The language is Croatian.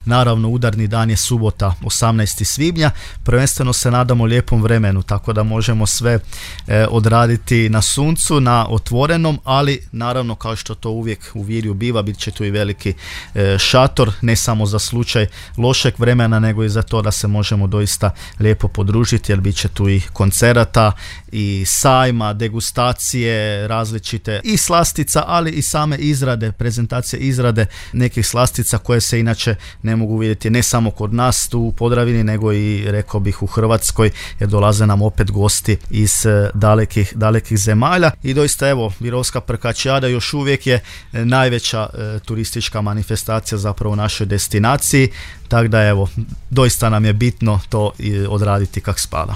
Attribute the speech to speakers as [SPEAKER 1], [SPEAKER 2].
[SPEAKER 1] Naravno, udarni dan je subota 18. svibnja. Prvenstveno se nadamo lijepom vremenu, tako da možemo sve odraditi na suncu, na otvorenom, ali naravno, kao što to uvijek u Virju biva, bit će tu i veliki šator, ne samo za slučaj lošeg vremena, nego i za to da se možemo doista lijepo podružiti, jer bit će tu i koncerata i sajma, degustacije različite i slastica, ali i same izrade, prezentacije izrade nekih slastica koje se inače ne mogu vidjeti ne samo kod nas tu u Podravini, nego i, rekao bih, u Hrvatskoj, jer dolaze nam opet gosti iz dalekih zemalja. I doista, evo, Virovska prkačijada još uvijek je najveća turistička manifestacija zapravo u našoj destinaciji, tako da evo, doista nam je bitno to odraditi kak spada.